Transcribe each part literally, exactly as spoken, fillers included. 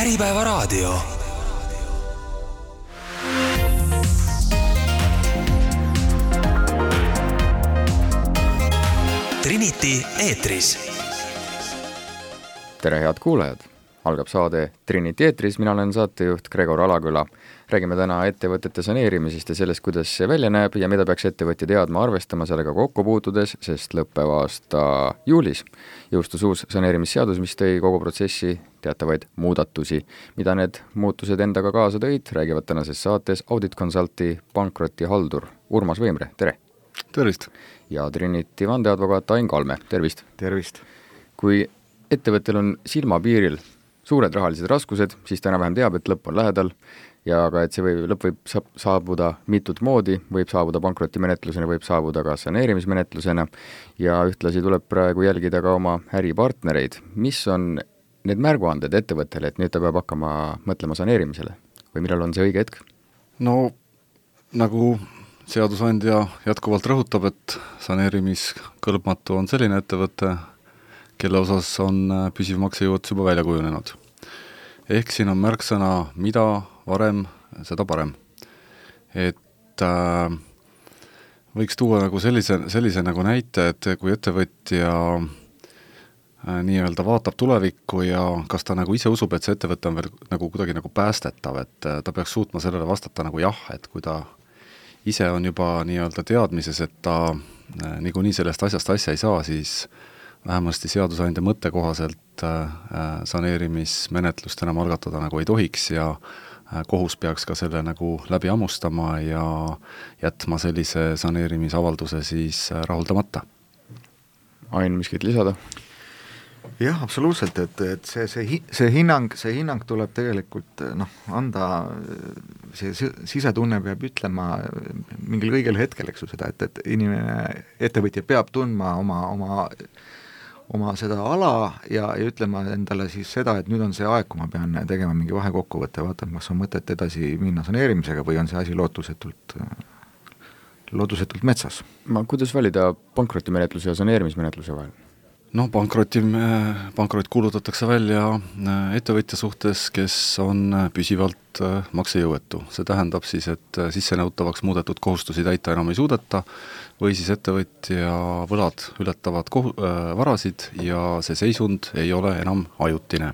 Äripäevaraadio. Trinity eetris. Tere head kuulajad! Algab saade Trinity eetris, mina olen saatejuht Gregor Alaküla. Räägime täna ettevõtete saneerimisest ja sellest, kuidas see välja näeb ja mida peaks ettevõtja teadma arvestama sellega kokku puutudes, sest lõppeva aasta juulis jõustus uus saneerimisseadus, mis tõi kogu protsessi teatavaid muudatusi. Mida need muutused endaga kaasa tõid, räägivad tänases saates Audit Consulti pankrotihaldur Urmas Võimre, tere! Tervist! Ja Trinity vandeadvokaat Ain Kalme, tervist! Tervist! Kui ettevõttel on silmapiiril suured rahalised raskused, siis ta enam-vähem teab, et lõpp on lähedal ja ka, et see võib, lõpp võib saabuda mitut moodi, võib saabuda pankrotimenetlusena, võib saabuda ka saneerimismenetlusena ja ühtlasi tuleb praegu jälgida ka oma äripartnereid. Mis on need märguanded ettevõttele, et nüüd ta peab hakkama mõtlema saneerimisele või millal on see õige hetk? No nagu seadusandja jätkuvalt rõhutab, et saneerimiskõlbmatu on selline ettevõte, kelle osas on püsiv maksejõuetus juba välja kujunenud. Ehk siin on märksõna, mida varem, seda parem. Et äh, võiks tuua nagu sellise, sellise nagu näite, et kui ettevõtja äh, nii-öelda vaatab tulevikku ja kas ta nagu ise usub, et see ettevõte on veel nagu kuidagi nagu päästetav, et äh, ta peaks suutma sellele vastata nagu jah, et kui ta ise on juba nii-öelda teadmises, et ta äh, nagu nii sellest asjast asja ei saa, siis vähemasti seadusandja mõtte kohaselt äh, saneerimismenetlust enam algatada nagu ei tohiks ja äh, kohus peaks ka selle nagu läbi ammustama ja jätma sellise saneerimisavalduse siis äh, rahuldamata. Ain, miskit lisada? Jah, absoluutselt, et, et see, see, see, hinnang, see hinnang tuleb tegelikult noh, anda, see sisetunne peab ütlema mingil õigel hetkel, eks ju seda, et, et inimene, ettevõtja peab tundma oma, oma oma seda ala ja, ja ütlema endale siis seda, et nüüd on see aeg, kui ma pean tegema mingi vahekokkuvõtte, vaatama, kas on mõtet edasi minna saneerimisega või on see asi lootusetult, lootusetult metsas. Ma, kuidas valida pankrotimenetluse ja saneerimismenetluse vahel? No pankroti, pankrot kuulutatakse välja ettevõtja suhtes, kes on püsivalt maksejõuetu. See tähendab siis, et sissenõutavaks muudetud kohustusi täita enam ei suudeta või siis ettevõtja võlad ületavad kohu, äh, varasid ja see seisund ei ole enam ajutine.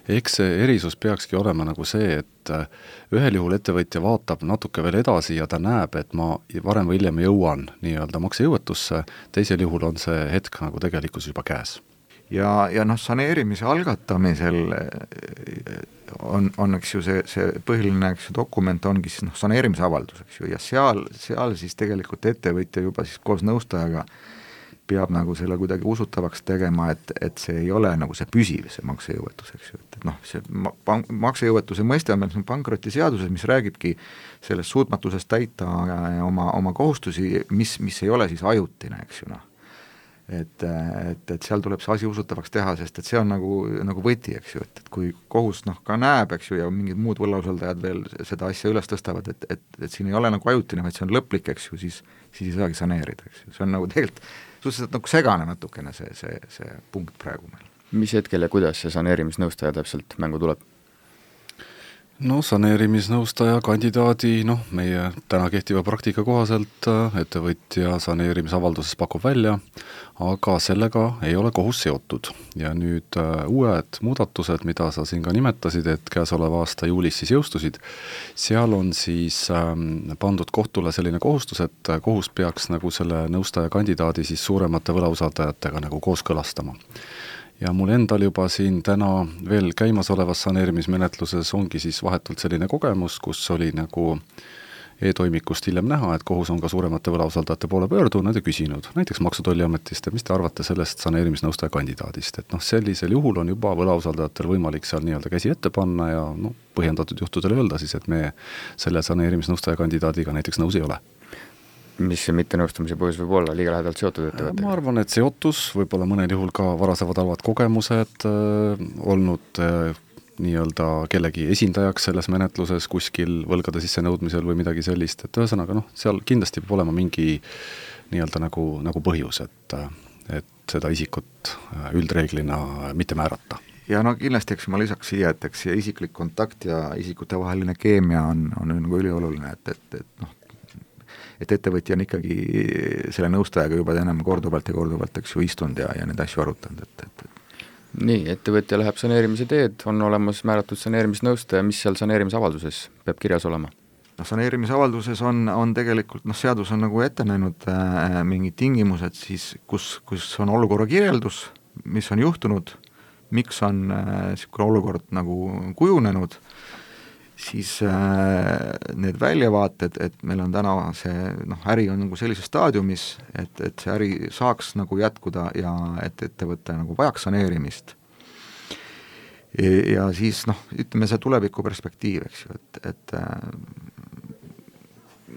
Eks see erisus peakski olema nagu see, et ühel juhul ettevõtja vaatab natuke veel edasi ja ta näeb, et ma varem või hiljem jõuan nii-öelda maksejõuetusse, teisel juhul on see hetk nagu tegelikult juba käes. Ja, ja noh, saneerimise algatamisel on, on eks ju see, see põhiline eks ju, dokument ongi siis noh, saneerimisavaldus, eks ju, ja seal, seal siis tegelikult ettevõtja juba siis koos nõustajaga peab nagu selle kuidagi usutavaks tegema, et, et see ei ole nagu see püsiv, see maksejõuetus, eks ju, et, et noh, see pank, maksejõuetuse mõiste on meil pankrotiseaduses, mis räägibki sellest suutmatusest täita oma, oma kohustusi, mis, mis ei ole siis ajutine, eks ju noh. Et, et, et seal tuleb see asi usutavaks teha, sest et see on nagu, nagu võti, eks ju, et, et kui kohus noh ka näeb, eks ju, ja mingid muud võlausaldajad veel seda asja üles tõstavad, et, et, et siin ei ole nagu ajutine, vaid see on lõplik, eks ju, siis, siis ei saagi saneerida, eks ju, see on nagu tegelikult suhteliselt nagu segane natukene see, see, see punkt praegu meil. Mis hetkel ja kuidas see saneerimisnõustaja täpselt mängu tuleb? No saneerimisnõustaja kandidaadi, noh, meie täna kehtiva praktika kohaselt ettevõtja saneerimisavalduses pakub välja, aga sellega ei ole kohus seotud. Ja nüüd uued muudatused, mida sa siin ka nimetasid, et käesoleva aasta juulis siis jõustusid, seal on siis pandud kohtule selline kohustus, et kohus peaks nagu selle nõustaja kandidaadi siis suuremate võlausaldajatega nagu kooskõlastama. Ja mul endal juba siin täna veel käimasolevas saneerimismenetluses ongi siis vahetult selline kogemus, kus oli nagu e-toimikust hiljem näha, et kohus on ka suuremate võlausaldajate poole pöördunud ja küsinud, näiteks Maksutolliametist, mis te arvate sellest saneerimisnõustaja kandidaadist, et noh, sellisel juhul on juba võlausaldajatel võimalik seal nii-öelda käsi ette panna ja no, põhjendatud juhtudel öelda siis, et me selle saneerimisnõustaja kandidaadiga näiteks nõus ei ole. Mis see mittenõustumise põhjus võib olla, liiga lähedalt seotud ettevõttega? Ma arvan, et seotus, võib-olla mõnel juhul ka varasemad halvad kogemused äh, olnud äh, nii-öelda kellegi esindajaks selles menetluses kuskil võlgade sissenõudmisel või midagi sellist, et ühesõnaga noh, seal kindlasti peab olema mingi nii-öelda nagu, nagu põhjus, et, et seda isikut üldreeglina mitte määrata. ja no kindlasti, eks ma lisaks siia, et eks see isiklik kontakt ja isikute vaheline keemia on, on nagu ülioluline, et, et, et noh, et ettevõtja on ikkagi selle nõustajaga juba enam korduvalt ja korduvalt, eks ju, istunud ja, ja neid asju arutanud, et, et, et nii, ettevõtja läheb saneerimise teed, on olemas määratud saneerimisnõustaja, mis seal saneerimisavalduses peab kirjas olema? noh, saneerimisavalduses on, on tegelikult, noh, seadus on nagu ette näinud äh, mingid tingimused siis, kus, kus on olukorra kirjeldus, mis on juhtunud, miks on niisugune äh, olukord nagu kujunenud, siis äh, need väljavaated, et meil on täna see, noh, äri on nagu sellises staadiumis, et, et see äri saaks nagu jätkuda ja et ettevõte nagu vajaks saneerimist. Ja, ja siis noh, ütleme see tuleviku perspektiiv, eks ju, et, et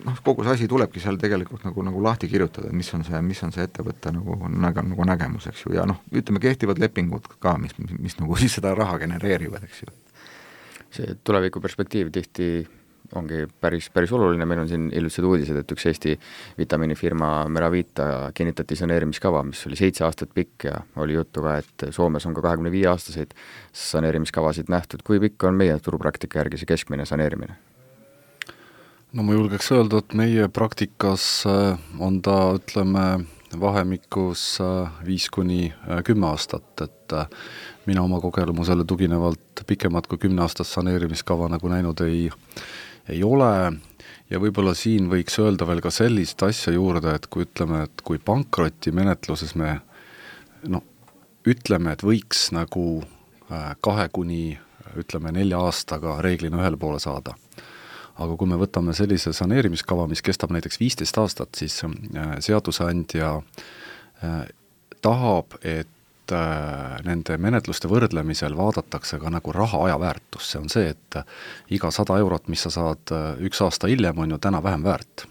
noh, kogu see asi tulebki seal tegelikult nagu, nagu lahti kirjutada, mis on see, mis on see ettevõtte nagu, nagu, nagu nägemus, eks ju, ja noh, ütleme kehtivad lepingud ka, mis, mis, mis nagu siis seda raha genereerivad, eks ju. See tuleviku perspektiiv tihti ongi päris, päris oluline, meil on siin hiljutised uudised, et üks Eesti vitamiinifirma Meravita kinnitati saneerimiskava, mis oli seitse aastat pikk ja oli juttu ka, et Soomes on ka kahekümne viie aastaseid saneerimiskavasid nähtud. Kui pikk on meie turupraktika järgi see keskmine saneerimine? No ma julgeks öelda, et meie praktikas on ta, ütleme, vahemikus viis kuni kümme aastat, et mina oma kogemusele tuginevalt pikemat kui kümne aastast saneerimiskava nagu näinud ei, ei ole ja võib-olla siin võiks öelda veel ka sellist asja juurde, et kui ütleme, et kui pankrotimenetluses me no, ütleme, et võiks nagu kahe kuni ütleme nelja aastaga reeglina ühele poole saada. Aga kui me võtame sellise saneerimiskava, mis kestab näiteks viisteist aastat, siis seadusandja tahab, et nende menetluste võrdlemisel vaadatakse ka nagu raha ajaväärtus. See on see, et iga sada eurot, mis sa saad üks aasta hiljem, on ju täna vähem väärt.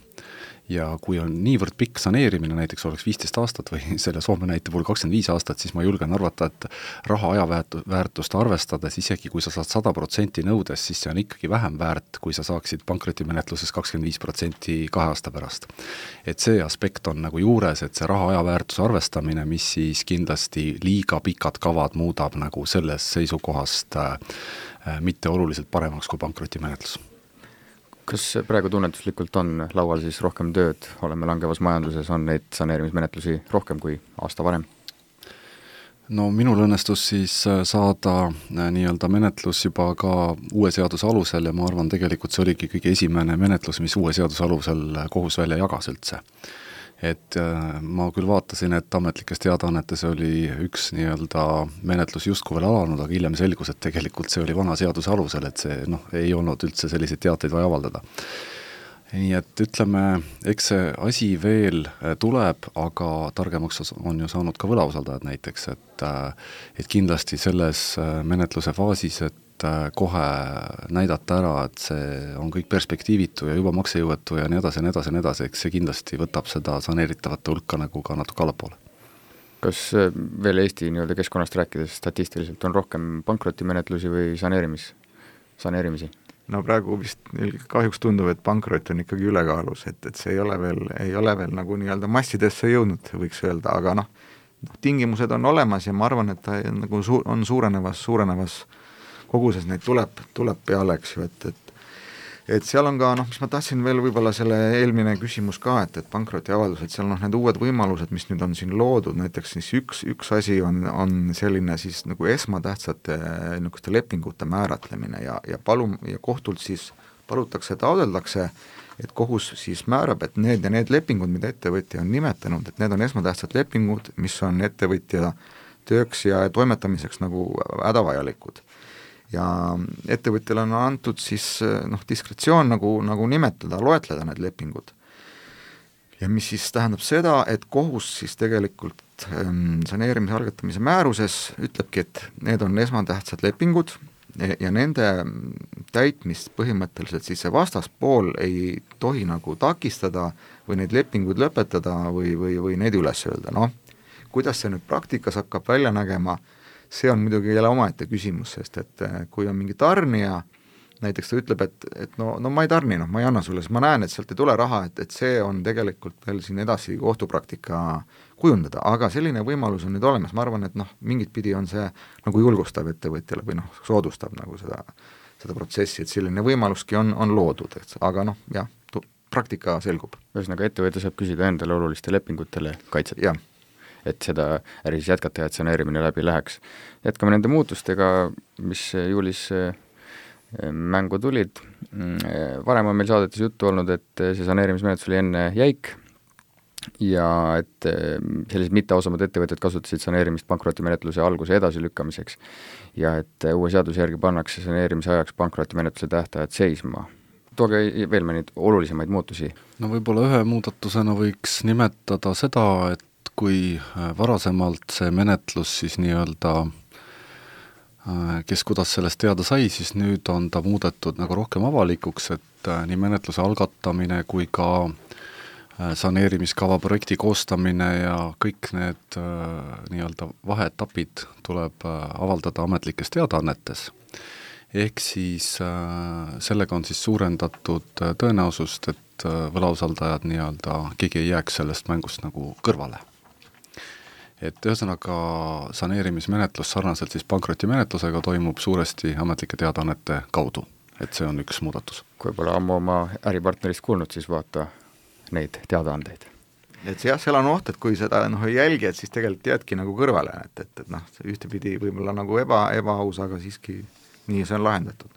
Ja kui on niivõrd pikk saneerimine, näiteks oleks viisteist aastat või selle Soome näite puhul kakskümmend viis aastat, siis ma julgen arvata, et raha ajaväärtust arvestades, isegi kui sa saad sada protsenti nõudes, siis see on ikkagi vähem väärt, kui sa saaksid pankrotimenetluses kakskümmend viis protsenti kahe aasta pärast. Et see aspekt on nagu juures, et see raha ajaväärtuse arvestamine, mis siis kindlasti liiga pikad kavad muudab nagu selles seisukohast äh, mitte oluliselt paremaks kui pankrotimenetlus. Kas praegu tunnetuslikult on laual siis rohkem tööd, oleme langevas majanduses, on neid saneerimismenetlusi rohkem kui aasta varem? No minul õnnestus siis saada nii-öelda menetlus juba ka uue seaduse alusel ja ma arvan, tegelikult see oligi kõige esimene menetlus, mis uue seaduse alusel kohus välja jagas üldse. Et ma küll vaatasin, et ametlikes teadaannetes oli üks nii-öelda menetlus justkui veel alanud, aga hiljem selgus, et tegelikult see oli vana seaduse alusel, et see noh, ei olnud üldse selliseid teateid vaja avaldada. Nii et ütleme, eks see asi veel tuleb, aga targemaks on ju saanud ka võlausaldajad näiteks, et, et kindlasti selles menetluse faasis, et kohe näidata ära, et see on kõik perspektiivitu ja juba maksejõuetu ja nii edasi ja nii edasi ja nii edasi, eks see kindlasti võtab seda saneeritavate hulka nagu ka natuke allapoole. Kas veel Eesti nii-öelda keskkonnast rääkides statistiliselt on rohkem pankrotimenetlusi või saneerimis, saneerimisi? No praegu vist kahjuks tundub, et pankrot on ikkagi ülekaalus, et, et see ei ole veel, ei ole veel nagu nii-öelda massidesse jõudnud, võiks öelda, aga noh, tingimused on olemas ja ma arvan, et ta nagu su- on suurenevas, suurenevas koguses neid tuleb, tuleb peale, eks ju, et, et et seal on ka, noh, mis ma tahtsin veel võib-olla selle eelmine küsimus ka, et, et pankrotiavaldus, et seal noh, need uued võimalused, mis nüüd on siin loodud, näiteks siis üks, üks asi on, on selline siis nagu esmatähtsate niisuguste lepingute määratlemine ja, ja palum, ja kohtult siis palutakse, taodeldakse, et kohus siis määrab, et need ja need lepingud, mida ettevõtja on nimetanud, et need on esmatähtsad lepingud, mis on ettevõtja tööks ja toimetamiseks nagu hädavajalikud. Ja ettevõtjale on antud siis noh, diskretsioon nagu, nagu nimetada, loetleda need lepingud. Ja mis siis tähendab seda, et kohus siis tegelikult ähm, saneerimise algatamise määruses ütlebki, et need on esmatähtsad lepingud ja nende täitmist põhimõtteliselt siis see vastaspool ei tohi nagu takistada või neid lepinguid lõpetada või, või, või neid üles öelda. Noh, kuidas see nüüd praktikas hakkab välja nägema, see on muidugi jälle omaette küsimus, sest et kui on mingi tarnija, näiteks ta ütleb, et, et no, no ma ei tarni, noh, ma ei anna sulle, siis ma näen, et sealt ei tule raha, et, et see on tegelikult veel siin edasi kohtupraktika kujundada, aga selline võimalus on nüüd olemas, ma arvan, et noh, mingit pidi on see nagu julgustav ettevõtjale või noh, soodustab nagu seda, seda protsessi, et selline võimaluski on, on loodud, et aga noh, jah, praktika selgub. ühesõnaga, ettevõte saab küsida endale oluliste lepingutele kaitset. jah. Et seda äri siis jätkata ja et saneerimine läbi läheks. Jätkame nende muutustega, mis juulis mängu tulid. Varem on meil saadetes juttu olnud, et see saneerimismenetlus oli enne jäik ja et sellised mitteausamad ettevõtted kasutasid saneerimist pankrotimenetluse alguse edasilükkamiseks ja et uue seaduse järgi pannakse saneerimise ajaks pankrotimenetluse tähtajad seisma. Tooge veel mõned olulisemaid muutusi. No võib-olla ühe muudatusena võiks nimetada seda, et kui varasemalt see menetlus siis nii-öelda, kes kuidas sellest teada sai, siis nüüd on ta muudetud nagu rohkem avalikuks, et nii menetluse algatamine kui ka saneerimiskava projekti koostamine ja kõik need nii-öelda vaheetapid tuleb avaldada ametlikes teadaannetes. Ehk siis sellega on siis suurendatud tõenäosust, et võlausaldajad nii-öelda, keegi ei jääks sellest mängust nagu kõrvale. Et ühesõnaga saneerimismenetlus sarnaselt siis pankrotimenetlusega toimub suuresti ametlike teadaannete kaudu, et see on üks muudatus. Kui pole ammu oma äripartnerist kuulnud, siis vaata neid teadaandeid. Et see jah, seal on oht, et kui seda noh, ei jälgi, et siis tegelikult jäädki nagu kõrvale, et, et, et noh, ühtepidi võib-olla nagu eba, ebaaus, aga siiski nii see on lahendatud.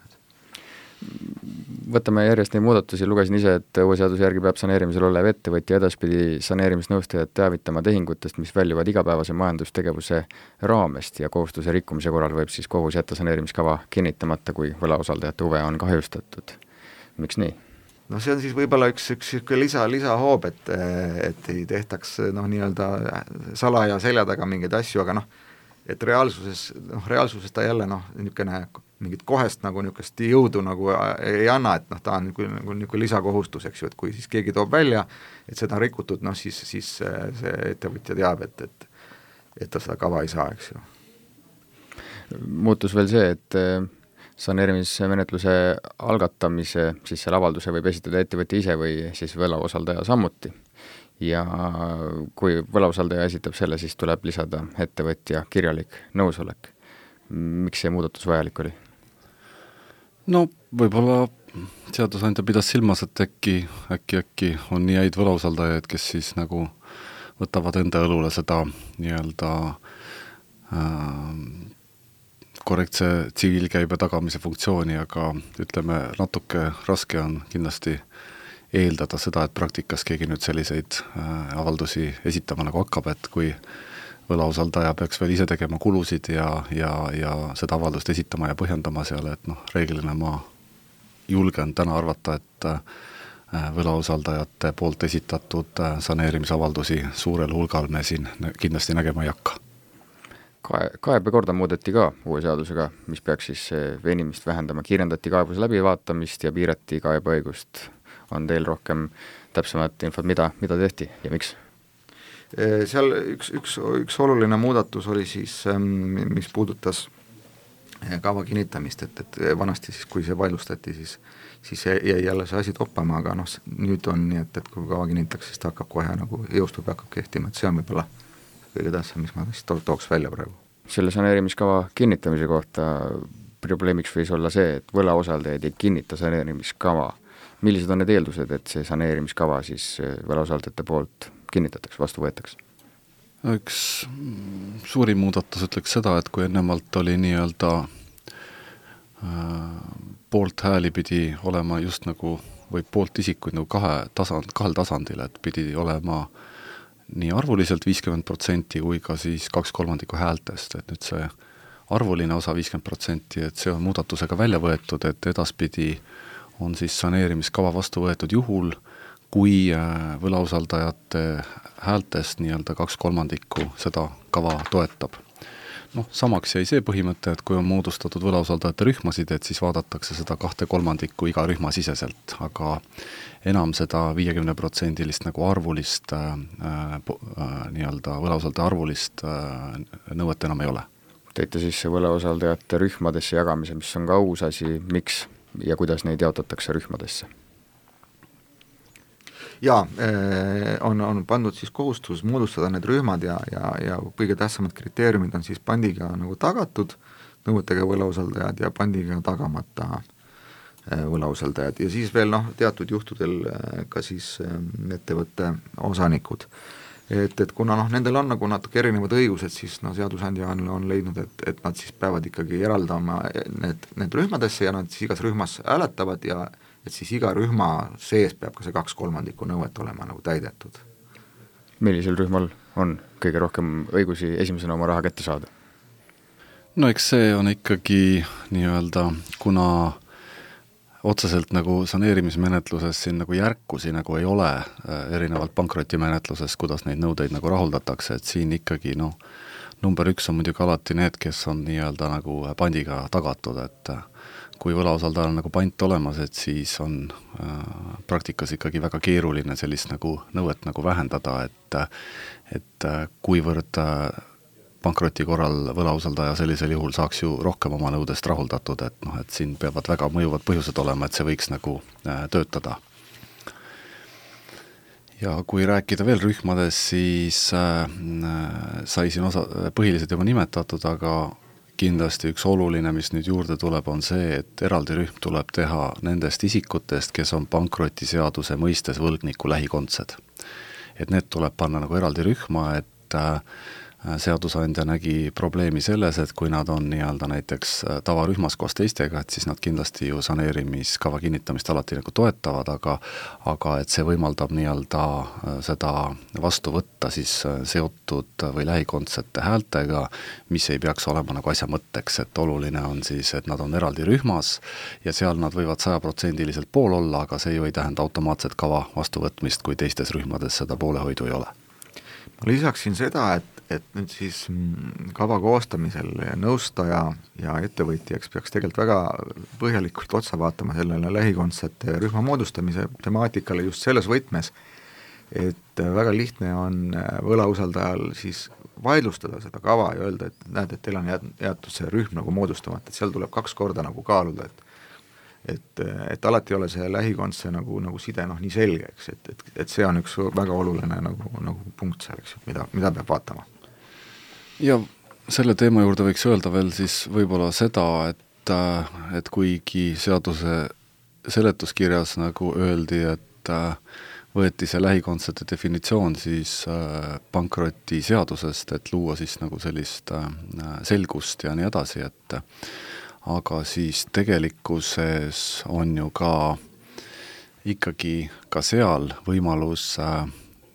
Võtame järjest neid muudatusi, lugesin ise, et uue seaduse järgi peab saneerimisel olev ettevõtja edaspidi saneerimisnõustajad teavitama tehingutest, mis väljuvad igapäevase majandustegevuse raamest ja kohustuse rikkumise korral võib siis kohus jätta saneerimiskava kinnitamata, kui võlausaldajate huve on kahjustatud. Miks nii? No see on siis võib-olla üks, üks lisa, lisahoob, et, et ei tehtaks noh, nii-öelda salaja selja taga mingeid asju, aga noh, et reaalsuses, noh, reaalsuses ta jälle noh, niisugune mingit kohest nagu niisugust jõudu nagu ei anna, et noh, ta on nagu, nagu, nagu lisakohustus, eks ju, et kui siis keegi toob välja, et seda on rikutud, noh siis, siis see ettevõtja teab, et, et, et ta seda kava ei saa, eks ju. Muutus veel see, et saneerimismenetluse algatamise, siis selle avalduse võib esitada ettevõtja ise või siis võlausaldaja sammuti. Ja kui võlausaldaja esitab selle, siis tuleb lisada ettevõtja kirjalik nõusolek. Miks see muudatus vajalik oli? No võib-olla seadusandja pidas silmas, et äkki, äkki, äkki on nii häid võlausaldajaid, kes siis nagu võtavad enda õlule seda nii-öelda äh, korrektse tsiviilkäibe tagamise funktsiooni, aga ütleme, natuke raske on kindlasti eeldada seda, et praktikas keegi nüüd selliseid äh, avaldusi esitama nagu hakkab, et kui võlausaldaja peaks veel ise tegema kulusid ja, ja, ja seda avaldust esitama ja põhjendama seal, et noh, reeglina ma julgen täna arvata, et võlausaldajate poolt esitatud saneerimisavaldusi suurel hulgal me siin kindlasti nägema ei hakka. Kae, kaebekorda muudeti ka uue seadusega, mis peaks siis venimist vähendama, kiirendati kaebuse läbivaatamist ja piirati kaebeõigust. On teil rohkem täpsemat infot, mida, mida tehti ja miks? Seal üks, üks, üks oluline muudatus oli siis, mis puudutas kava kinnitamist, et, et vanasti siis, kui see vaidlustati, siis, siis jäi jälle see asi toppama, aga noh, nüüd on nii, et, et kui kava kinnitakse, siis ta hakkab kohe nagu jõustub ja hakkab kehtima, et see on võib-olla kõige tähtsam, mis ma to- tooks välja praegu. Selle saneerimiskava kinnitamise kohta probleemiks võis olla see, et võlausaldajaid ei kinnita saneerimiskava. Millised on need eeldused, et see saneerimiskava siis võlausaldajate poolt kinnitatakse, vastu võetakse? Üks suuri muudatus ütleks seda, et kui ennemalt oli nii-öelda äh, poolt hääli pidi olema just nagu, või poolt isikuid nagu kahe tasand, kahel tasandil, et pidi olema nii arvuliselt viiskümmend protsenti kui ka siis kaks kolmandikku häältest, et nüüd see arvuline osa viiskümmend protsenti, et see on muudatusega välja võetud, et edaspidi on siis saneerimiskava vastu võetud juhul, kui võlausaldajate häältest nii-öelda kaks kolmandikku seda kava toetab. Noh, samaks jäi see põhimõte, et kui on moodustatud võlausaldajate rühmasid, et siis vaadatakse seda kahte kolmandikku iga rühma siseselt, aga enam seda viiekümne protsendilist nagu arvulist äh, äh, nii-öelda võlausaldaja arvulist äh, nõuet enam ei ole. Teite siis võlausaldajate rühmadesse jagamise, mis on ka uus asi, miks? ja kuidas neid jaotatakse rühmadesse? Jaa, on, on pandud siis kohustus moodustada need rühmad ja, ja, ja kõige tähtsamad kriteeriumid on siis pandiga nagu tagatud nõuetega võlausaldajad ja pandiga tagamata võlausaldajad ja siis veel noh, teatud juhtudel ka siis ettevõtte osanikud. Et, et kuna noh, nendel on nagu natuke erinevad õigused, siis no seadusandja on, on leidnud, et, et nad siis peavad ikkagi eraldama need, need rühmadesse ja nad siis igas rühmas hääletavad ja et siis iga rühma sees peab ka see kaks kolmandikku nõuet olema nagu täidetud. Millisel rühmal on kõige rohkem õigusi esimesena oma raha kätte saada? No eks see on ikkagi nii-öelda, kuna otseselt nagu saneerimismenetluses siin nagu järkusi nagu ei ole erinevalt pankrotimenetluses, kuidas neid nõudeid nagu rahuldatakse, et siin ikkagi noh, number üks on muidugi alati need, kes on nii-öelda nagu pandiga tagatud, et kui võlausaldajal nagu pant olemas, et siis on äh, praktikas ikkagi väga keeruline sellist nagu nõuet nagu vähendada, et, et kuivõrd pankroti korral võlausaldaja sellisel juhul saaks ju rohkem oma nõudest rahuldatud, et noh, et siin peavad väga mõjuvad põhjused olema, et see võiks nagu äh, töötada. Ja kui rääkida veel rühmades, siis äh, sai siin osa, põhiliselt juba nimetatud, aga kindlasti üks oluline, mis nüüd juurde tuleb, on see, et eraldi rühm tuleb teha nendest isikutest, kes on pankrotiseaduse mõistes võlgniku lähikondsed. Et need tuleb panna nagu eraldi rühma, et äh, seadusandja nägi probleemi selles, et kui nad on nii-öelda näiteks tavarühmas koos teistega, et siis nad kindlasti ju saneerimiskava kinnitamist alati nagu toetavad, aga, aga et see võimaldab nii-öelda seda vastu võtta siis seotud või lähikondsete häältega, mis ei peaks olema nagu asja mõtteks, et oluline on siis, et nad on eraldi rühmas ja seal nad võivad sajaprotsendiliselt pool olla, aga see ju ei tähenda automaatset kava vastuvõtmist, kui teistes rühmades seda poolehoidu ei ole. Ma lisaksin seda, et et nüüd siis kava koostamisel nõustaja ja ettevõtjaks peaks tegelikult väga põhjalikult otsa vaatama sellele lähikondsete rühma moodustamise temaatikale just selles võtmes, et väga lihtne on võlausaldajal siis vaidlustada seda kava ja öelda, et näed, et teil on jäetud see rühm nagu moodustamata, et seal tuleb kaks korda nagu kaaluda, et et, et alati ei ole see lähikondse nagu, nagu side noh nii selge, eks, et, et, et see on üks väga oluline nagu, nagu punkt seal, eks, mida, mida peab vaatama. Ja selle teema juurde võiks öelda veel siis võib-olla seda, et, et kuigi seaduse seletuskirjas nagu öeldi, et võeti see lähikondsete definitsioon siis pankroti seadusest, et luua siis nagu sellist selgust ja nii edasi, et aga siis tegelikkuses on ju ka ikkagi ka seal võimalus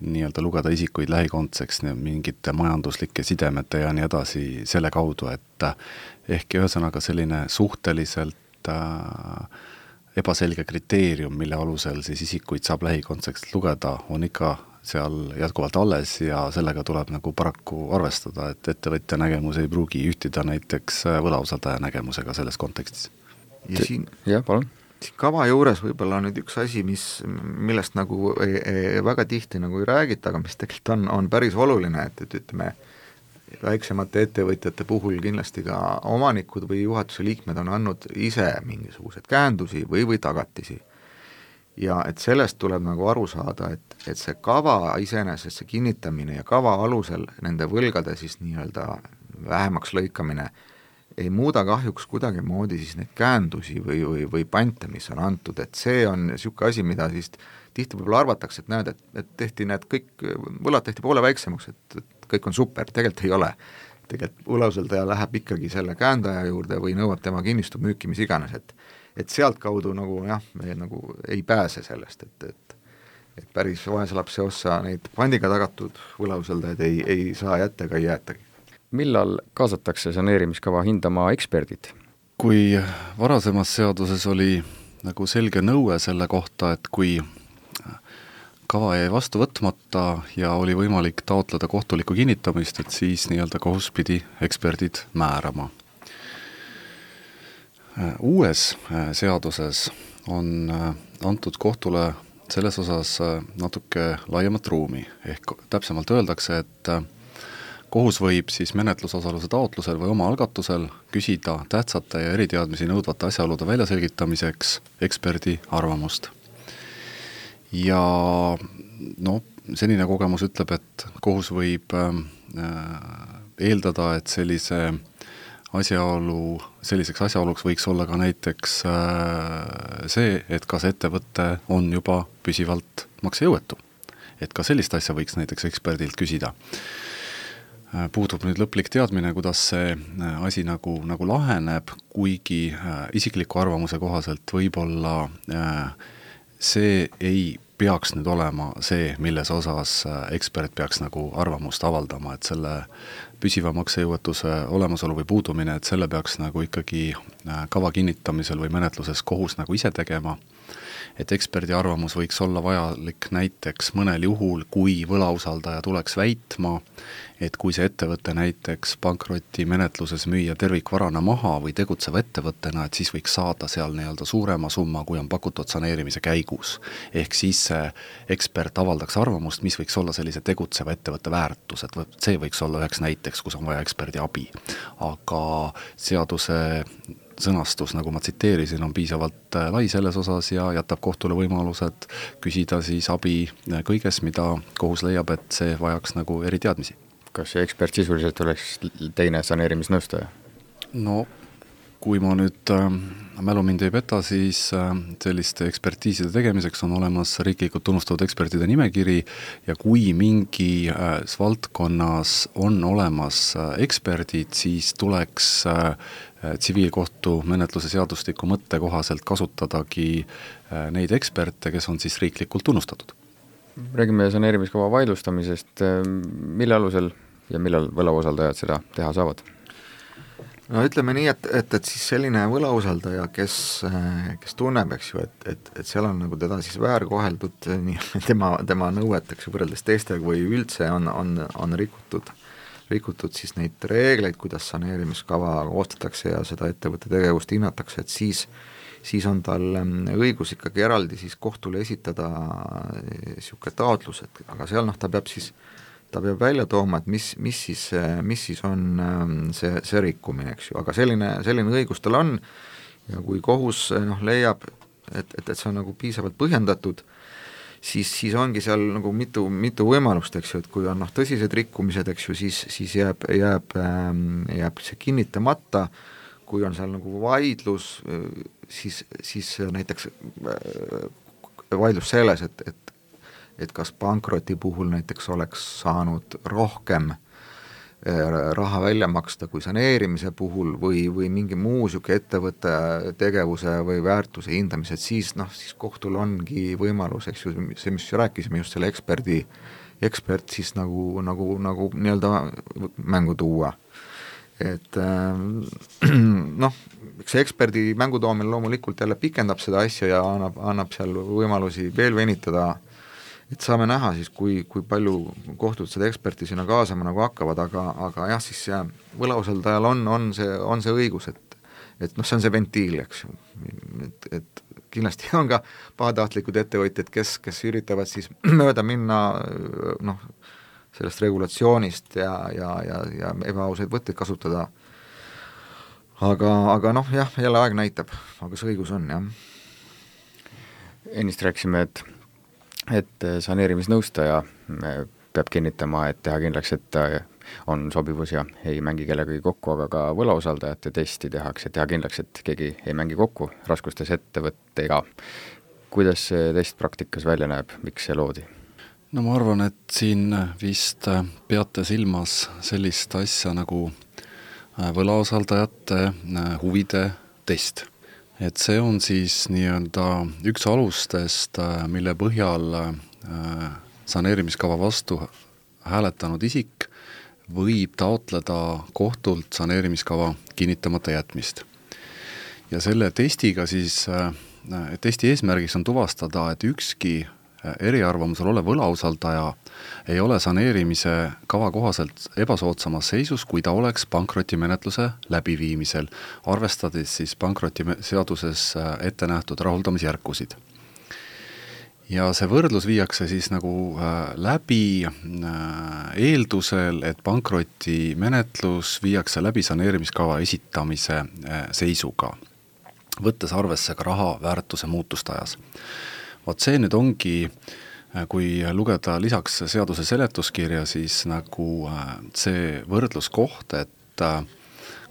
nii-öelda lugeda isikuid lähikondseks mingite majanduslike sidemete ja nii edasi selle kaudu, et ehk ühesõnaga selline suhteliselt äh, ebaselge kriteerium, mille alusel siis isikuid saab lähikondseks lugeda, on ikka seal jätkuvalt alles ja sellega tuleb nagu paraku arvestada, et ettevõtja nägemus ei pruugi ühtida näiteks võlausaldaja nägemusega selles kontekstis. Ja siin... jah, palun. Kava juures võib-olla nüüd üks asi, mis, millest nagu ei, ei, väga tihti nagu ei räägita, aga mis tegelikult on, on päris oluline, et, et ütleme, väiksemate ettevõtjate puhul kindlasti ka omanikud või juhatuse liikmed on andnud ise mingisugused käendusi või, või tagatisi. Ja et sellest tuleb nagu aru saada, et, et see kava iseenesest, see kinnitamine ja kava alusel nende võlgade siis nii-öelda vähemaks lõikamine ei muuda kahjuks kuidagi moodi siis neid käendusi või, või, või pante, mis on antud, et see on niisugune asi, mida siis tihti võib-olla arvatakse, et näed, et, et tehti need kõik, võlad tehti poole väiksemaks, et, et kõik on super, tegelikult ei ole. Tegelikult võlausaldaja läheb ikkagi selle käendaja juurde või nõuab tema kinnistu müüki, mis iganes, et, et sealt kaudu nagu jah, me nagu ei pääse sellest, et, et, et päris vaeslapse ossa neid pandiga tagatud võlausaldajaid ei, ei saa jätta ega ei jäetagi. Millal kaasatakse saneerimiskava hindama eksperdid? Kui varasemas seaduses oli nagu selge nõue selle kohta, et kui kava jäi vastu võtmata ja oli võimalik taotleda kohtulikku kinnitamist, et siis nii-öelda kohus pidi eksperdid määrama. Uues seaduses on antud kohtule selles osas natuke laiemat ruumi, ehk täpsemalt öeldakse, et kohus võib siis menetlusosaluse taotlusel või oma algatusel küsida tähtsate ja eriteadmisi nõudvate asjaolude väljaselgitamiseks eksperdi arvamust. Ja no, senine kogemus ütleb, et kohus võib eeldada, et sellise asjaolu, selliseks asjaoluks võiks olla ka näiteks see, et kas ettevõte on juba püsivalt maksejõuetu. Et ka sellist asja võiks näiteks eksperdilt küsida. Puudub nüüd lõplik teadmine, kuidas see asi nagu, nagu laheneb, kuigi isikliku arvamuse kohaselt võib-olla see ei peaks nüüd olema see, milles osas ekspert peaks nagu arvamust avaldama, et selle püsiva maksejõuetuse olemasolu või puudumine, et selle peaks nagu ikkagi kava kinnitamisel või menetluses kohus nagu ise tegema. Et eksperdi arvamus võiks olla vajalik näiteks mõnel juhul, kui võlausaldaja tuleks väitma, et kui see ettevõte näiteks pankroti menetluses müüa tervikvarana maha või tegutseva ettevõttena, et siis võiks saada seal nii-öelda suurema summa, kui on pakutud saneerimise käigus. Ehk siis see ekspert avaldaks arvamust, mis võiks olla sellise tegutseva ettevõtte väärtus, et see võiks olla üheks näiteks, kus on vaja eksperdi abi. Aga seaduse sõnastus, nagu ma tsiteerisin, on piisavalt lai selles osas ja jätab kohtule võimalused küsida siis abi kõiges, mida kohus leiab, et see vajaks nagu eriteadmisi. Kas see ekspert sisuliselt oleks teine saneerimisnõustaja? No, kui ma nüüd äh, mälu mind ei peta, siis äh, selliste ekspertiiside tegemiseks on olemas riiklikult tunnustatud ekspertide nimekiri ja kui mingi äh, valdkonnas on olemas äh, eksperdid, siis tuleks äh, tsiviilkohtu menetluse seadustiku mõtte kohaselt kasutadagi neid eksperte, kes on siis riiklikult tunnustatud. Räägime saneerimiskava vaidlustamisest, mille alusel ja millal võlausaldajad seda teha saavad? No ütleme nii, et, et, et siis selline võlausaldaja, kes, kes tunneb, eks ju, et, et, et seal on nagu teda siis väärkoheldud nii, tema, tema nõueteks võrreldes teistega või üldse on, on, on rikutud rikutud siis neid reegleid, kuidas saneerimiskava koostatakse ja seda ettevõtte tegevust hinnatakse, et siis, siis on tal õigus ikkagi eraldi siis kohtule esitada niisugune taotlus, et aga seal noh, ta peab siis, ta peab välja tooma, et mis, mis, siis, mis siis on see, see rikkumine, eks ju, aga selline, selline õigus tal on ja kui kohus noh, leiab, et, et, et see on nagu piisavalt põhjendatud, siis, siis ongi seal nagu mitu, mitu võimalust, eks ju, et kui on noh, tõsised rikkumised, eks ju, siis, siis jääb, jääb, jääb see kinnitamata, kui on seal nagu vaidlus, siis, siis näiteks vaidlus selles, et, et, et kas pankroti puhul näiteks oleks saanud rohkem raha välja maksta kui saneerimise puhul või, või mingi muu siuke ettevõtte tegevuse või väärtuse hindamised, siis noh, siis kohtul ongi võimalus, eks ju, see, mis rääkisime just selle eksperdi, ekspert siis nagu, nagu, nagu nii-öelda mängu tuua. Et noh, see eksperdi mängu toomine loomulikult jälle pikendab seda asja ja annab, annab seal võimalusi veel venitada, et saame näha siis, kui, kui palju kohtud seda eksperti sinna kaasama nagu hakkavad, aga, aga jah, siis võlausaldajal on, on, see, on see õigus, et, et noh, see on see ventiil, eks ju, et, et kindlasti on ka pahatahtlikud ettevõtjad, kes, kes üritavad siis mööda minna noh, sellest regulatsioonist ja, ja, ja, ja ebaausaid võtteid kasutada, aga, aga noh, jah, jälle aeg näitab, aga see õigus on, jah. Ennist rääkisime, et et saneerimisnõustaja peab kinnitama, et teha kindlaks, et ta on sobivus ja ei mängi kellegagi kokku, aga ka võlausaldajate testi tehakse, teha kindlaks, et keegi ei mängi kokku raskustes ettevõttega. Kuidas see test praktikas välja näeb, miks see loodi? No ma arvan, et siin vist peate silmas sellist asja nagu võlausaldajate huvide test. Et see on siis nii-öelda üks alustest, mille põhjal saneerimiskava vastu hääletanud isik võib taotleda kohtult saneerimiskava kinnitamata jätmist. Ja selle testiga siis, testi eesmärgiks on tuvastada, et ükski eriarvamusel olev võlausaldaja ei ole saneerimise kava kohaselt ebasoodsamas seisus, kui ta oleks pankrotimenetluse läbiviimisel, arvestades siis pankrotiseaduses ette nähtud rahuldamisjärkusid. ja see võrdlus viiakse siis nagu läbi eeldusel, et pankrotimenetlus viiakse läbi saneerimiskava esitamise seisuga, võttes arvesse ka raha väärtuse muutust ajas. Vot see nüüd ongi, kui lugeda lisaks seaduse seletuskirja, siis nagu see võrdluskoht, et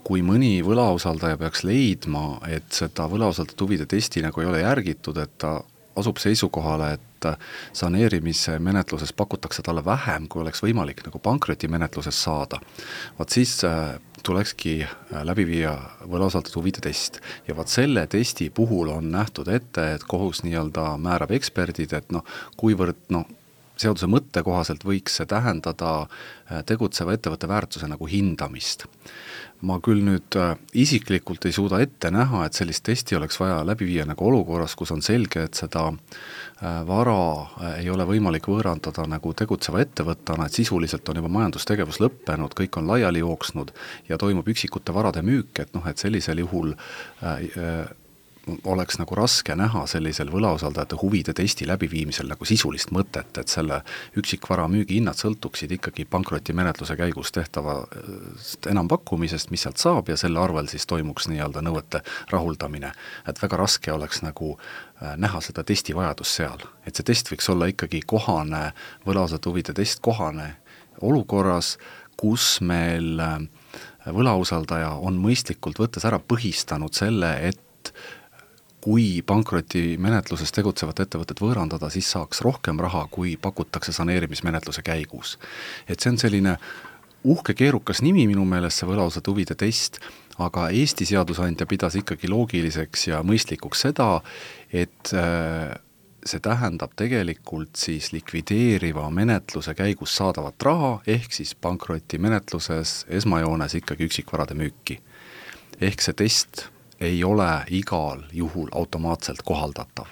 kui mõni võlausaldaja peaks leidma, et seda võlausaldajate huvide testi nagu ei ole järgitud, et ta asub seisukohale, et saneerimise menetluses pakutakse talle vähem, kui oleks võimalik nagu pankrotimenetluses saada. Vaat siis tulekski läbi viia võlausaldajate huvide test. Ja vaat selle testi puhul on nähtud ette, et kohus nii-öelda määrab eksperdid, et noh, kuivõrd noh, seaduse mõtte kohaselt võiks see tähendada tegutseva ettevõtte väärtuse nagu hindamist. Ma küll nüüd isiklikult ei suuda ette näha, et sellist testi oleks vaja läbi viia nagu olukorras, kus on selge, et seda vara ei ole võimalik võõrandada nagu tegutseva ettevõttena, et sisuliselt on juba majandustegevus lõppenud, kõik on laiali jooksnud ja toimub üksikute varade müük, et noh, et sellisel juhul äh, oleks nagu raske näha sellisel võlausaldajate huvide testi läbiviimisel nagu sisulist mõtet, et selle üksikvara müügi hinnad sõltuksid ikkagi pankrotimenetluse käigus tehtava enampakkumisest, mis sealt saab ja selle arvel siis toimuks nii-öelda nõuete rahuldamine. Et väga raske oleks nagu näha seda testi vajadus seal. Et see test võiks olla ikkagi kohane, võlausaldajate huvide test kohane olukorras, kus meil võlausaldaja on mõistlikult võttes ära põhistanud selle, et kui pankrotimenetluses tegutsevat ettevõtet võõrandada, siis saaks rohkem raha, kui pakutakse saneerimismenetluse käigus. Et see on selline uhke keerukas nimi minu meelest, see võlausaldajate huvide test, aga Eesti seadusandja pidas ikkagi loogiliseks ja mõistlikuks seda, et see tähendab tegelikult siis likvideeriva menetluse käigus saadavat raha, ehk siis pankrotimenetluses esmajoones ikkagi üksikvarade müüki. Ehk see test ei ole igal juhul automaatselt kohaldatav.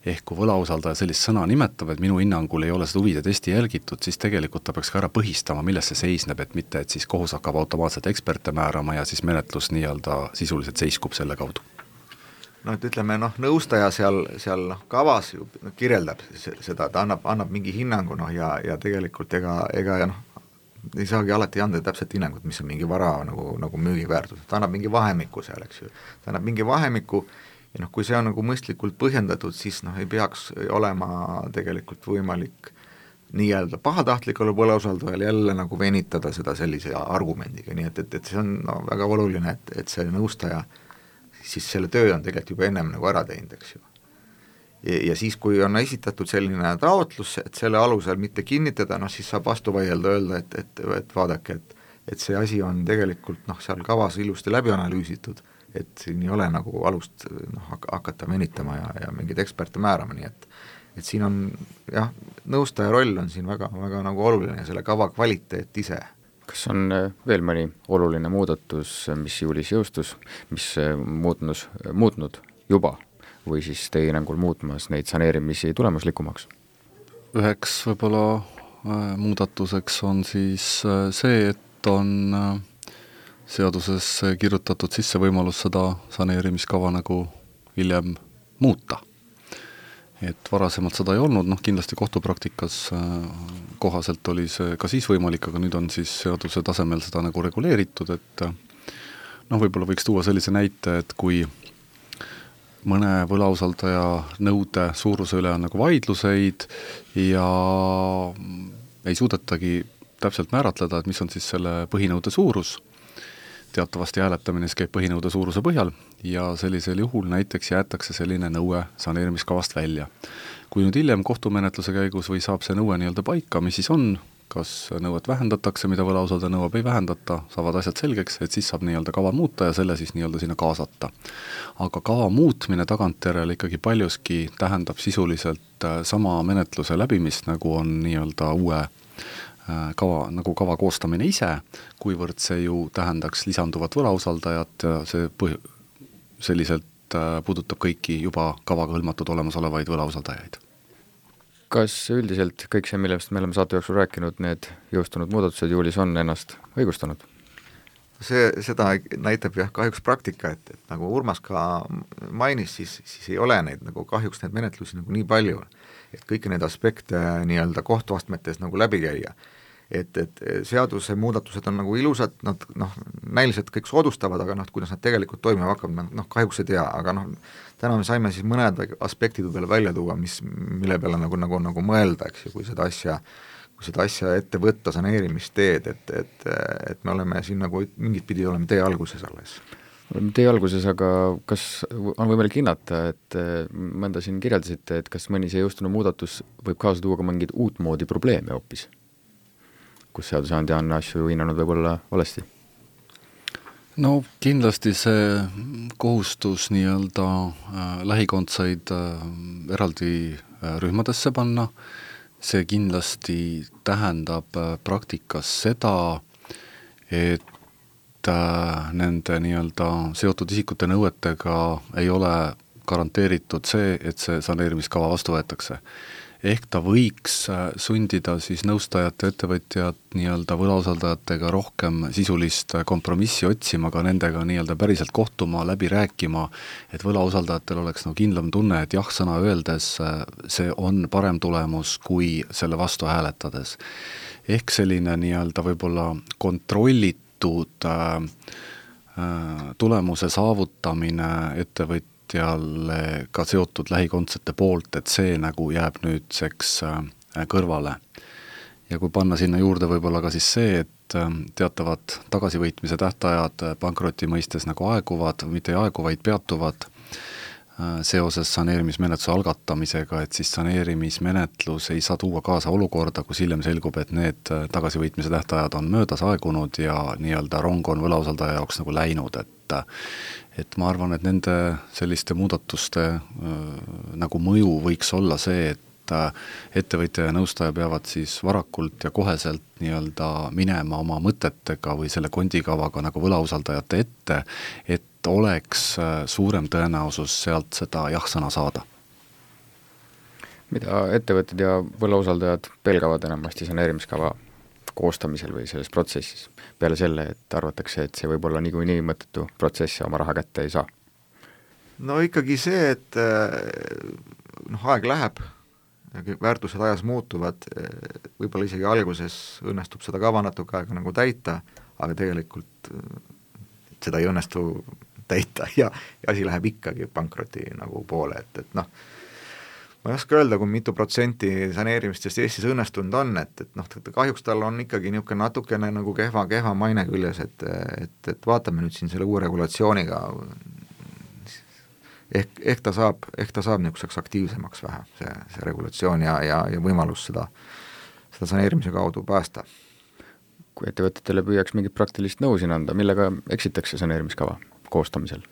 Ehk kui võlausaldaja sellist sõna nimetab, et minu hinnangul ei ole seda huvide testi jälgitud, siis tegelikult ta peaks ka ära põhistama, milles see seisneb, et mitte, et siis kohus hakkab automaatselt eksperte määrama ja siis menetlus nii-öelda sisuliselt seiskub selle kaudu. No et ütleme, noh, nõustaja seal, seal noh, kavas ju kirjeldab seda, ta annab, annab mingi hinnangu, noh, ja, ja tegelikult ega, ega ja noh, ei saagi alati anda täpselt hinnangut, mis on mingi vara nagu, nagu müügiväärtus, ta annab mingi vahemiku seal, eks ju, ta annab mingi vahemiku ja noh, kui see on nagu mõistlikult põhjendatud, siis noh, ei peaks olema tegelikult võimalik nii-öelda pahatahtlikule võlausaldajal jälle nagu venitada seda sellise argumendiga, nii et, et, et see on no, väga oluline, et, et see nõustaja siis selle töö on tegelikult juba ennem nagu ära teinud, eks ju. Ja siis, kui on esitatud selline taotlus, et selle alusel mitte kinnitada, noh siis saab vastu vaielda, öelda, et, et, et vaadake, et, et see asi on tegelikult noh, seal kavas ilusti läbi analüüsitud, et siin ei ole nagu alust noh, hakata venitama ja, ja mingeid eksperte määrama, nii et et siin on jah, nõustaja roll on siin väga, väga nagu oluline ja selle kava kvaliteet ise. Kas on veel mõni oluline muudatus, mis juulis jõustus, mis muutnus, muutnud juba või siis teie hinnangul muutmas neid saneerimisi tulemuslikumaks? Üheks võib-olla muudatuseks on siis see, et on seaduses kirjutatud sisse võimalus seda saneerimiskava nagu hiljem muuta. Et varasemalt seda ei olnud, noh kindlasti kohtupraktikas kohaselt oli see ka siis võimalik, aga nüüd on siis seaduse tasemel seda nagu reguleeritud, et noh, võib-olla võiks tuua sellise näite, et kui mõne võlausaldaja nõude suuruse üle on nagu vaidluseid ja ei suudetagi täpselt määratleda, et mis on siis selle põhinõude suurus. Teatavasti hääletamine käib põhinõude suuruse põhjal ja sellisel juhul näiteks jäetakse selline nõue saneerimiskavast välja. Kui nüüd hiljem kohtumenetluse käigus või saab see nõue nii-öelda paika, mis siis on, kas nõuet vähendatakse, mida võlausaldaja nõuab, ei vähendata, saavad asjad selgeks, et siis saab nii-öelda kava muuta ja selle siis nii-öelda sinna kaasata. Aga kava muutmine tagantjärele ikkagi paljuski tähendab sisuliselt sama menetluse läbimist, nagu on nii-öelda uue kava, nagu kava koostamine ise, kuivõrd see ju tähendaks lisanduvat võlausaldajat ja see põh- selliselt puudutab kõiki juba kavaga hõlmatud olemasolevaid võlausaldajaid. Kas üldiselt kõik see, millest me oleme saate jooksul rääkinud, need jõustunud muudatused juulis on ennast õigustanud? see, seda näitab jah kahjuks praktika, et, et nagu Urmas ka mainis, siis, siis ei ole neid nagu kahjuks neid menetlusi nagu nii palju, et kõiki neid aspekte nii-öelda kohtuastmetes nagu läbi käia. Et, et seaduse muudatused on nagu ilusad, nad noh, näiliselt kõik soodustavad, aga noh, kuidas nad tegelikult toimima hakkavad, noh, kahjuks ei tea, aga noh, täna me saime siis mõned aspektid peale välja tuua, mis, mille peale nagu, nagu, nagu mõelda, eks ju, kui seda asja kui seda asja ette võtta, saneerimist teed, et, et, et me oleme siin nagu mingit pidi oleme tee alguses alles. Oleme tee alguses, aga kas on võimalik hinnata, et mõnda siin kirjeldasite, et kas mõni see jõustunud muudatus võib kaasa tuua ka mingid uut moodi probleeme hoopis, kus seadusandja on asju hinnanud võib-olla valesti? No kindlasti see kohustus nii-öelda äh, lähikondsaid äh, eraldi äh, rühmadesse panna, see kindlasti tähendab praktikas seda, et nende nii-öelda seotud isikute nõuetega ei ole garanteeritud see, et see saneerimiskava vastu võetakse. Ehk ta võiks sundida siis nõustajate ettevõtjad nii-öelda võlausaldajatega rohkem sisulist kompromissi otsima, ka nendega nii-öelda päriselt kohtuma, läbi rääkima, et võlausaldajatel oleks nagu kindlam tunne, et jah, sõna öeldes see on parem tulemus kui selle vastu hääletades. Ehk selline nii-öelda võib-olla kontrollitud äh, tulemuse saavutamine ettevõtjad jälle ka seotud lähikondsete poolt, et see nagu jääb nüüdseks kõrvale. Ja kui panna sinna juurde võib-olla ka siis see, et teatavad tagasivõitmise tähtajad pankroti mõistes nagu aeguvad, mitte ei aegu, vaid peatuvad seoses saneerimismenetluse algatamisega, et siis saneerimismenetlus ei saa tuua kaasa olukorda, kus hiljem selgub, et need tagasivõitmise tähtajad on möödas aegunud ja nii-öelda rong on võlausaldaja jaoks nagu läinud, et et ma arvan, et nende selliste muudatuste äh, nagu mõju võiks olla see, et äh, ettevõtja ja nõustaja peavad siis varakult ja koheselt nii-öelda minema oma mõtetega või selle kondikavaga nagu võlausaldajate ette, et oleks äh, suurem tõenäosus sealt seda jah-sõna saada. Mida ettevõtted ja võlausaldajad pelgavad enamasti saneerimiskava koostamisel või selles protsessis, peale selle, et arvatakse, et see võib olla niikuinii mõttetu protsess ja oma raha kätte ei saa? No ikkagi see, et noh, aeg läheb, väärtused ajas muutuvad, võib-olla isegi alguses õnnestub seda kava natuke aega nagu täita, aga tegelikult seda ei õnnestu täita ja, ja asi läheb ikkagi pankroti nagu poole, et, et noh, ma ei oska öelda, kui mitu protsenti saneerimistest Eestis õnnestunud on, et, et noh, kahjuks tal on ikkagi niisugune natukene nagu kehva, kehva maine küljes, et, et, et vaatame nüüd siin selle uue regulatsiooniga, ehk, ehk ta saab, ehk ta saab niisuguseks aktiivsemaks vähe, see, see regulatsioon ja, ja, ja võimalus seda, seda saneerimise kaudu päästa. Kui ettevõtetele püüaks mingit praktilist nõu siin anda, millega eksitakse saneerimiskava koostamisel?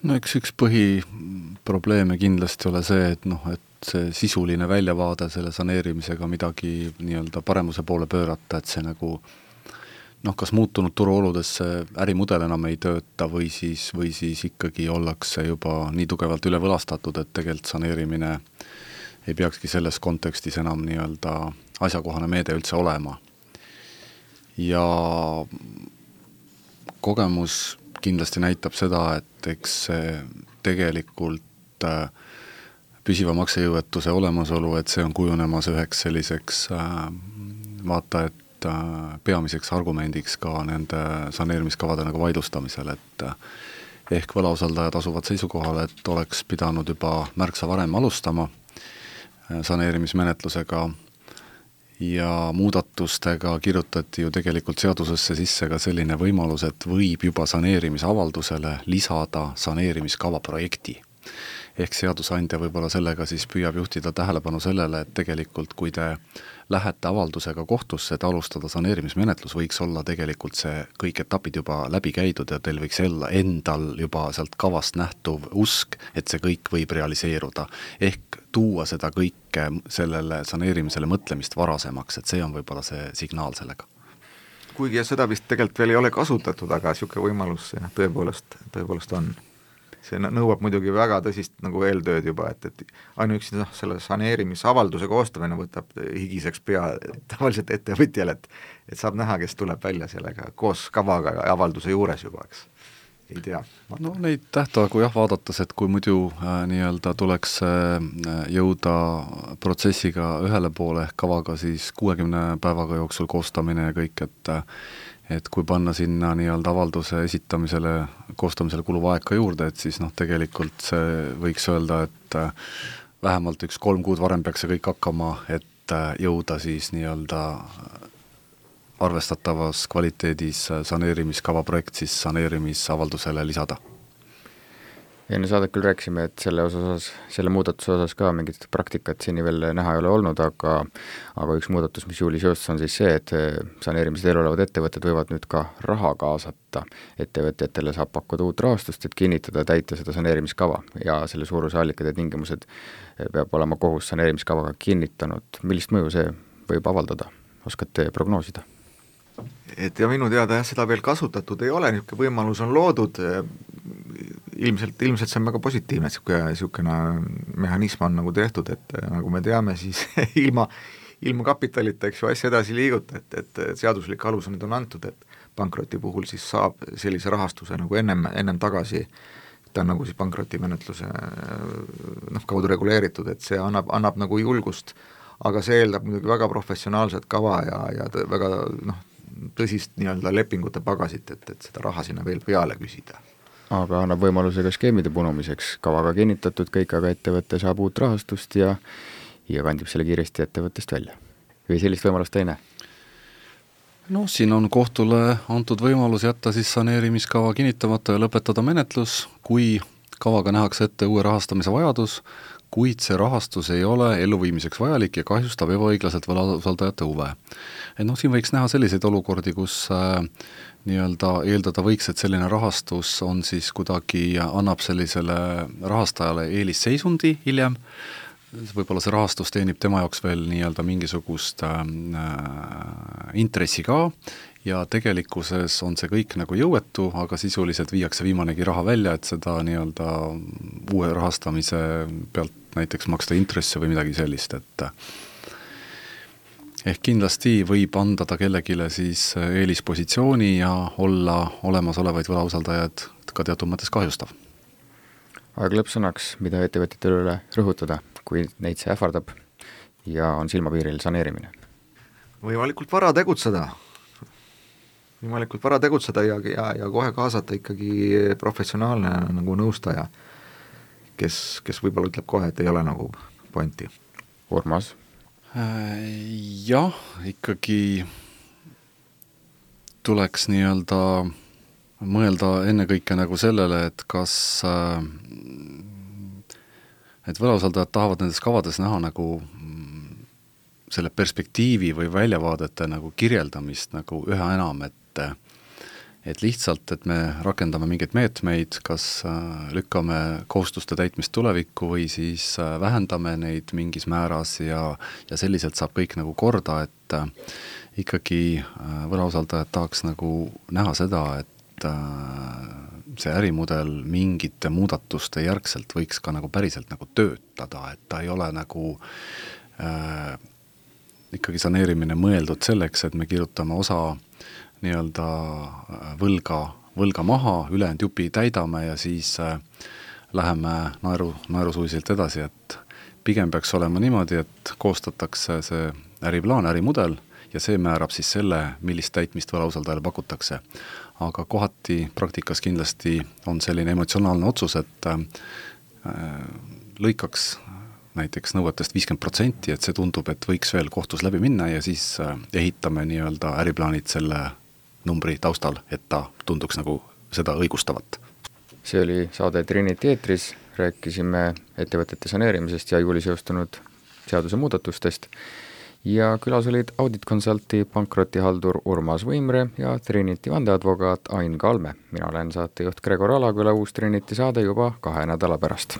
No eks üks põhiprobleeme kindlasti ole see, et noh, et see sisuline väljavaade selle saneerimisega midagi nii-öelda paremuse poole pöörata, et see nagu noh, kas muutunud turuoludes see ärimudel enam ei tööta või siis, või siis ikkagi ollakse juba nii tugevalt üle võlastatud, et tegelikult saneerimine ei peakski selles kontekstis enam nii-öelda asjakohane meede üldse olema. Ja kogemus kindlasti näitab seda, et eks tegelikult äh, püsiva maksejõuetuse olemasolu, et see on kujunemas üheks selliseks äh, vaata, et äh, peamiseks argumendiks ka nende saneerimiskavade nagu vaidlustamisel, et äh, ehk võlausaldajad asuvad seisukohale, et oleks pidanud juba märksa varem alustama äh, saneerimismenetlusega ja muudatustega kirjutati ju tegelikult seadusesse sisse ka selline võimalus, et võib juba saneerimisavaldusele lisada saneerimiskava projekti. Ehk seadusandja võib-olla sellega siis püüab juhtida tähelepanu sellele, et tegelikult kui te lähete avaldusega kohtusse, et alustada saneerimismenetlus, võiks olla tegelikult see kõik etapid juba läbi käidud ja teil võiks olla endal juba sealt kavast nähtuv usk, et see kõik võib realiseeruda. Ehk tuua seda kõike sellele saneerimisele mõtlemist varasemaks, et see on võib-olla see signaal sellega. Kuigi ja seda vist tegelikult veel ei ole kasutatud, aga niisugune võimalus tõepoolest, tõepoolest on. see nõuab muidugi väga tõsist nagu eeltööd juba, et, et ainuüksi noh, selle saneerimisavalduse koostamine võtab higiseks pea tavaliselt ettevõtjal, et et saab näha, kes tuleb välja sellega koos kavaga ja avalduse juures juba, eks, ei tea. No neid tähtaegu jah, vaadates, et kui muidu äh, nii-öelda tuleks äh, jõuda protsessiga ühele poole ehk kavaga siis kuuekümne päevaga jooksul koostamine ja kõik, et äh, et kui panna sinna nii-öelda avalduse esitamisele, koostamisele kuluva aeg ka juurde, et siis noh, tegelikult see võiks öelda, et vähemalt üks kolm kuud varem peaks see kõik hakkama, et jõuda siis nii-öelda arvestatavas kvaliteedis saneerimiskava projekt siis saneerimisavaldusele lisada. Enne saadet küll rääkisime, et selle osas, selle muudatuse osas ka mingit praktikat seni veel näha ei ole olnud, aga aga üks muudatus, mis juulis jõustus, on siis see, et saneerimise teel olevad ettevõtted võivad nüüd ka raha kaasata. Ettevõtjatele saab pakkuda uut rahastust, et kinnitada ja täita seda saneerimiskava ja selle suuruse allikad ja tingimused peab olema kohus saneerimiskavaga kinnitanud. Millist mõju see võib avaldada? Oskate prognoosida? Et ja minu teada jah, seda veel kasutatud ei ole, niisugune võimalus on loodud, ilmselt, ilmselt see on väga positiivne, et niisugune, niisugune mehhanism on nagu tehtud, et nagu me teame, siis ilma, ilma kapitalita, eks ju, asja edasi liiguta, et, et seaduslik alus on nüüd on antud, et pankroti puhul siis saab sellise rahastuse nagu ennem, ennem tagasi, ta on nagu siis pankrotimenetluse noh, kaudu reguleeritud, et see annab, annab nagu julgust, aga see eeldab muidugi väga professionaalset kava ja, ja väga noh, tõsist nii-öelda lepingute pagasit, et, et seda raha sinna veel peale küsida. Aga annab võimaluse ka skeemide punumiseks, kavaga kinnitatud kõik, aga ettevõtte saab uut rahastust ja, ja kandib selle kiiresti ettevõttest välja. Või sellist võimalust ei näe? No siin on kohtule antud võimalus jätta siis saneerimiskava kinnitamata ja lõpetada menetlus, kui kavaga nähakse ette uue rahastamise vajadus, kuid see rahastus ei ole elluviimiseks vajalik ja kahjustab ebaõiglaselt võlausaldajate huve. Et noh, siin võiks näha selliseid olukordi, kus äh, nii-öelda eeldada võiks, et selline rahastus on siis kuidagi, annab sellisele rahastajale eelisseisundi hiljem, võib-olla see rahastus teenib tema jaoks veel nii-öelda mingisugust äh, intressi ka, ja tegelikkuses on see kõik nagu jõuetu, aga sisuliselt viiakse viimanegi raha välja, et seda nii-öelda uue rahastamise pealt näiteks maksta intresse või midagi sellist, et ehk kindlasti võib anda ta kellegile siis eelispositsiooni ja olla olemasolevaid võlausaldajaid ka teatud mõttes kahjustav. Aeg lõppsõnaks, mida ettevõtjatele üle rõhutada, kui neid see ähvardab ja on silmapiiril saneerimine? Võimalikult vara tegutseda. Võimalikult vara tegutseda ja, ja, ja kohe kaasata ikkagi professionaalne nagu nõustaja, kes, kes võib-olla ütleb kohe, et ei ole nagu pointi. Urmas? Jah, ikkagi tuleks nii-öelda mõelda ennekõike nagu sellele, et kas et võlausaldajad tahavad nendes kavades näha nagu selle perspektiivi või väljavaadete nagu kirjeldamist nagu üha enam, et et lihtsalt, et me rakendame mingeid meetmeid, kas lükkame kohustuste täitmist tulevikku või siis vähendame neid mingis määras ja, ja selliselt saab kõik nagu korda, et ikkagi võlausaldajad tahaks nagu näha seda, et see ärimudel mingite muudatuste järgselt võiks ka nagu päriselt nagu töötada, et ta ei ole nagu äh, ikkagi saneerimine mõeldud selleks, et me kirjutame osa nii-öelda võlga, võlga maha, ülejäänud jupi täidame ja siis äh, läheme naeru, naerusuiselt edasi, et pigem peaks olema niimoodi, et koostatakse see äriplaan, ärimudel ja see määrab siis selle, millist täitmist võlausaldajale pakutakse. Aga kohati praktikas kindlasti on selline emotsionaalne otsus, et äh, lõikaks näiteks nõuetest viiskümmend protsenti, et see tundub, et võiks veel kohtus läbi minna ja siis äh, ehitame nii-öelda äriplaanid selle numbri taustal, et ta tunduks nagu seda õigustavat. See oli saade Trinity eetris, rääkisime ettevõtete saneerimisest ja juulis jõustunud seaduse muudatustest ja külas olid Audit Consulti pankrotihaldur Urmas Võimre ja Trinity vandeadvokaat Ain Kalme. Mina olen saatejuht Gregor Alaküla, uus Trinity saade juba kahe nädala pärast.